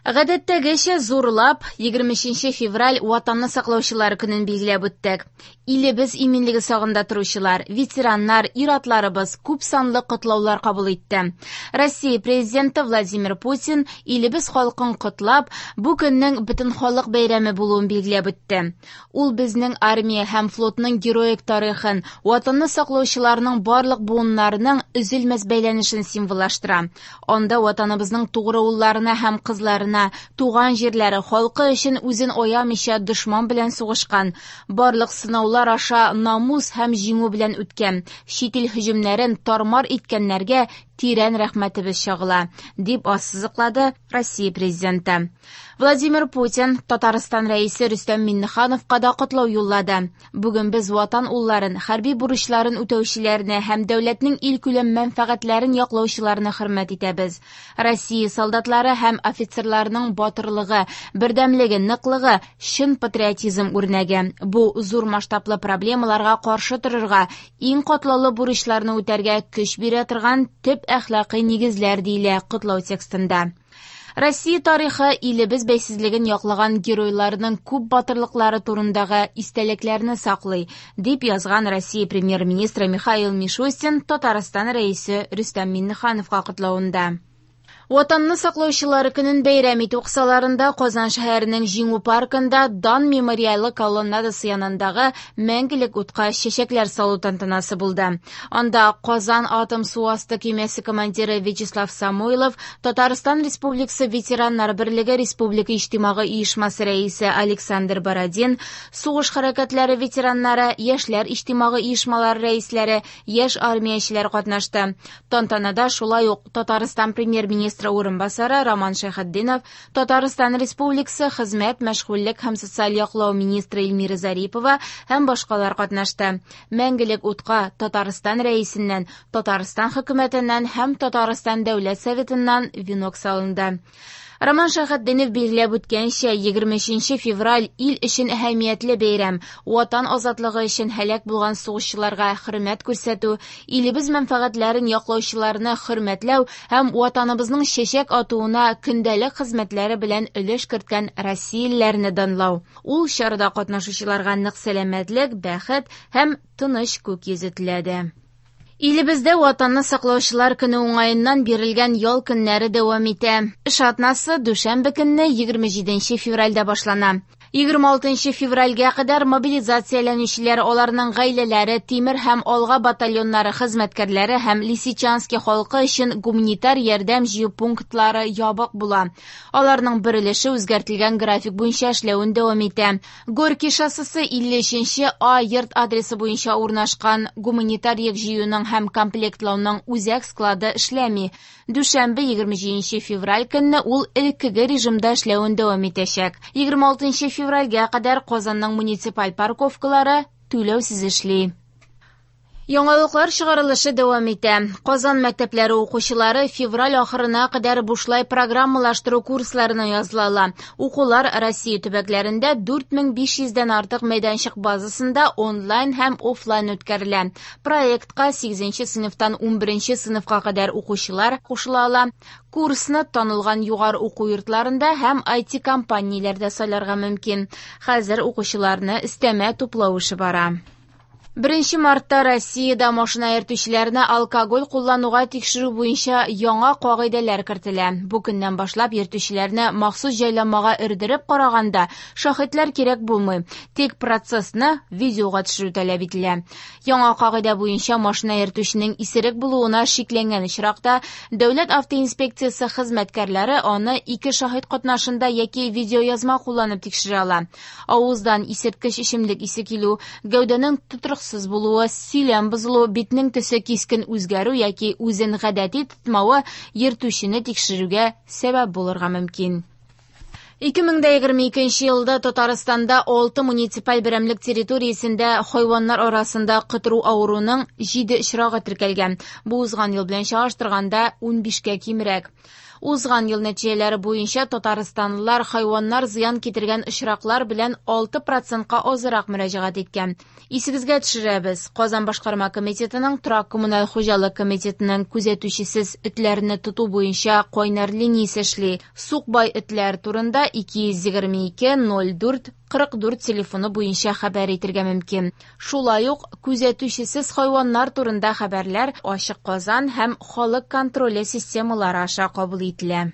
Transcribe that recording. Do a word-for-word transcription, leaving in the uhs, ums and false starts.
Гадәттәгечә зурлап егерме өченче февраль Ватанны саклаучылар көнен билгеләп үттек. Илебез иминлеге сагында торучылар, ветераннар, ир-атларыбыз күп санлы котлаулар кабул итте. Россия президенты Владимир Путин илебез халкын котлап, бу көннең бөтен халык бәйрәме булуын билгеләп үтте. Ул безнең армия һәм флотның героик тарихын, Ватанны саклаучыларның барлык буыннарының өзелмәс бәйләнешен символлаштыра. Анда Ватаныбызның тугры улларына һәм кызларына, туган җирләре, халкы өчен үзен аямыйча дошман белән сугышкан, барлык сынаулар аша намус һәм җиңү белән үткән, чит ил һөҗүмнәрен тармар иткәннәргә тирән рәхмәтебез чагыла, дип ассызыклады Россия президенты. Владимир Путин Татарстан рәисе Рөстәм Миңнехановка да котлау юллады. Бүген без Ватан улларын, хәрби бурычларын үтәүчеләрне һәм дәүләтнең илкүләм мәнфәгатьләрен яклаучыларны хөрмәт итәбез. Россия солдатлары һәм офицерларының батырлыгы, бердәмлеге, ныклыгы чын патриотизм үрнәге. Бу зур масштаблы проблемаларга каршы торырга, иң катлаулы бурычларны үтәргә көч бирә торган төп әхлакый нигезләр, диелә котлау текстында. Россия тарихы илебез бәйсезлеген яклаган геройларның күп батырлыклары турындагы истәлекләрне саклый, дип язган Россия премьер-министры Михаил Мишустин Татарстан рәисе Рөстәм Миңнехановка котлавында. Ватанны саклаучылар көнен бәйрәм итү кысаларында Казан шәһәренең Җиңү паркында Дан мемориалы колоннадасы янындагы мәңгелек утка чәчәкләр салу тантанасы булды. Анда Казан атом су асты көймәсе командиры Вячеслав Самойлов, Татарстан Республикасы ветераннар берлеге Республика иҗтимагый оешмасы рәисе Александр Бородин, сугыш хәрәкәтләре ветераннары, яшьләр иҗтимагый оешмалары рәисләре, яшь армиячеләр катнашты. Тантанада шулай ук Татарстан премьер-министры урынбасары Роман Шәйхетдинов, Татарстан Республикасы хезмәт, мәшгульлек һәм социаль яклау министры Эльмира Зарипова һәм башкалар катнашты. Мәңгелек утка Татарстан рәисеннән, Татарстан хөкүмәтеннән һәм Татарстан Дәүләт Советыннан венок салынды. Роман Шәйхетдинов билгеләп үткәнчә, егерме өченче февраль ил өчен әһәмиятле бәйрәм, Ватан азатлыгы өчен һәлак булган сугышчыларга хөрмәт күрсәтү, илебез мәнфәгатьләрен яклаучыларны хөрмәтләү һәм Ватаныбызның чәчәк атуына көндәлек хезмәтләре белән өлеш керткән россиялеләрне данлау. Ул чарада катнашучыларга нык сәламәтлек, бәхет һәм тыныч күк йөзе теләде. Илебездә Ватанны саклаучылар көне уңаеннан бирелгән ял көннәре дәвам итә. Эш атнасы дүшәмбе көнне егерме җиденче февральдә башлана. Егерме алтынчы февральгә кадәр мобилизацияләнүчеләр, аларның гаиләләре, Тимер һәм Алга батальоннары хезмәткәрләре һәм Лисичанский халкы өчен гуманитар ярдәм җыю пунктлары ябык була. Аларның бер өлеше үзгәртелгән график буенча эшләвен дәвам итә. Горький шоссесы илле өченче А йорт адресы буенча урнашкан гуманитар йөк җыюның һәм комплектлауның үзәк склады эшләми. Дүшәмбе егерме җиденче февраль көнне ул элеккеге режимда эшләвен дәвам итәчәк. Егерме алтынчы февральгә кадәр Казанның муниципаль парковкалары түләүсез эшли. Яңалыклар чыгарылышы дәвам итә. Казан мәктәпләре укучылары февраль ахырына кадәр бушлай программалаштыру курсларына языла ала. Укулар Россия төбәкләрендә дүрт мең биш йөздән артык мәйданчык базасында онлайн һәм офлайн үткәрелә. Проектка сигезенче сыйныфтан унберенче сыйныфка кадәр укучылар кушыла ала. Курсны танылган югары уку йортларында һәм ай ти компанияләрдә сайларга мөмкин. Хәзер укучыларны өстәмә туплау эше бара. Беренче мартта Россиядә машина йөртүчеләрне алкоголь куллануга тикшерү буенча яңа кагыйдәләр кертелә. Бу көннән башлап йөртүчеләрне махсус җайланмага өрдереп караганда шаһитлар кирәк булмый. Тик процессны видеога төшерү таләп ителә. Яңа кагыйдә буенча машина йөртүченең исерек булуына шикләнгән очракта Дәүләт автоинспекциясе хезмәткәрләре аны ике шаһит катнашында яки видеоязма кулланып тикшерә ала. Авыздан исерткеч эчемлек исе килү, гәүдәнең тотрыксыз булуы, сөйләм бозылу, битнең төсе кискен үзгәрү яки үзен гадәти тотмавы йөртүчене тикшерүгә сәбәп булырга мөмкин. Ике мең дә егерме икенче елда Татарстанда алты муниципаль берәмлек территориясендә хайваннар арасында котыру авыруының җиде очрагы теркәлгән. Бу узган ел белән чагыштырганда унбишкә кимрәк. Узган ел нәтиҗәләре буенча татарстанлылар хайваннар зыян китергән очраклар белән алты процентка азрак мөрәҗәгать иткән. Исегезгә төшерәбез, Казан башкарма комитетының торак-коммуналь хуҗалык комитетының күзәтүчесез этләрне тоту буенча кайнар линиясе эшли. Сукбай этләр турында ике йөз егерме ике ноль дүрт кырык дүрт телефоны буенча хәбәр итәргә мөмкин. Шулай ук күзәтүчесез хайваннар турында хәбәрләр Ачык Казан һәм Халык контроле системалары аша кабул ителә.